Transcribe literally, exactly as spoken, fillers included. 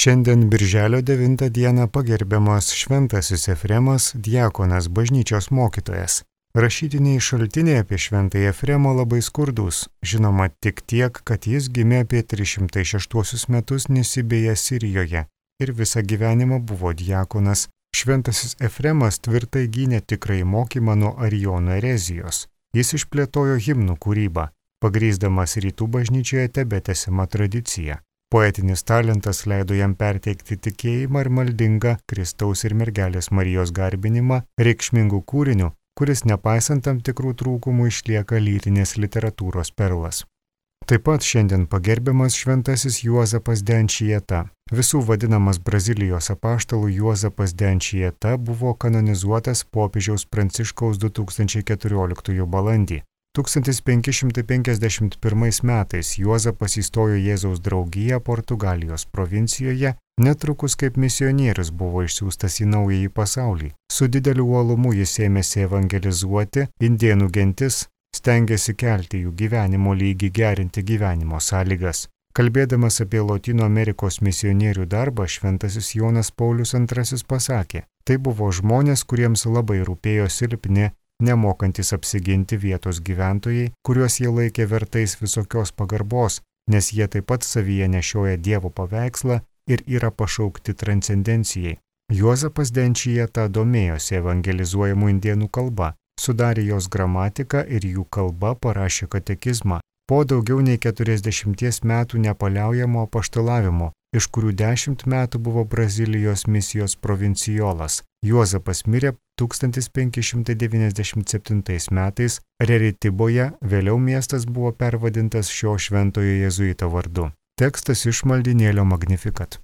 Šiandien birželio devintą dieną pagerbiamas šventasis Efremas, diakonas, bažnyčios mokytojas. Rašytiniai šaltiniai apie šventąjį Efremą labai skurdus, žinoma tik tiek, kad jis gimė apie tris šimtus šeštuosius metus Nisibėje Sirijoje ir visą gyvenimą buvo diakonas. Šventasis Efremas tvirtai gynė tikrąjį mokymą nuo Arijonų erezijos. Jis išplėtojo himnų kūrybą, pagrįsdamas rytų bažnyčioje tebetęsiamą tradiciją. Poetinis talentas leido jam perteikti tikėjimą ir maldingą Kristaus ir mergelės Marijos garbinimą reikšmingų kūrinių, kuris nepaisant tam tikrų trūkumų išlieka lytinės literatūros perlas. Taip pat šiandien pagerbiamas šventasis Juozapas Denčieta. Visų vadinamas Brazilijos apaštalų Juozapas Denčieta buvo kanonizuotas popiežiaus Pranciškaus du tūkstančiai keturioliktųjų balandį. tūkstantis penki šimtai penkiasdešimt pirmais metais Juozapas įstojo Jėzaus draugiją Portugalijos provincijoje, netrukus kaip misionierius buvo išsiųstas į naująjį pasaulį. Su dideliu uolumu jis ėmėsi evangelizuoti indėnų gentis, stengėsi kelti jų gyvenimo lygį, gerinti gyvenimo sąlygas. Kalbėdamas apie Lotynų Amerikos misionierių darbą, šventasis Jonas Paulius antrasis pasakė, tai buvo žmonės, kuriems labai rūpėjo silpni, nemokantis apsiginti vietos gyventojai, kuriuos jie laikė vertais visokios pagarbos, nes jie taip pat savyje nešioja Dievo paveikslą ir yra pašaukti transcendencijai. Juozapas Denčieta domėjosi evangelizuojamų indėnų kalba, sudarė jos gramatiką ir jų kalba parašė katekizmą. Po daugiau nei keturiasdešimties metų nepaliaujamo apaštalavimo, iš kurių dešimt metų buvo Brazilijos misijos provincijolas, Juozapas mirė tūkstantis penki šimtai devyniasdešimt septintais metais Reritiboje, vėliau miestas buvo pervadintas šio šventojo jėzuito vardu. Tekstas iš maldynėlio Magnificat.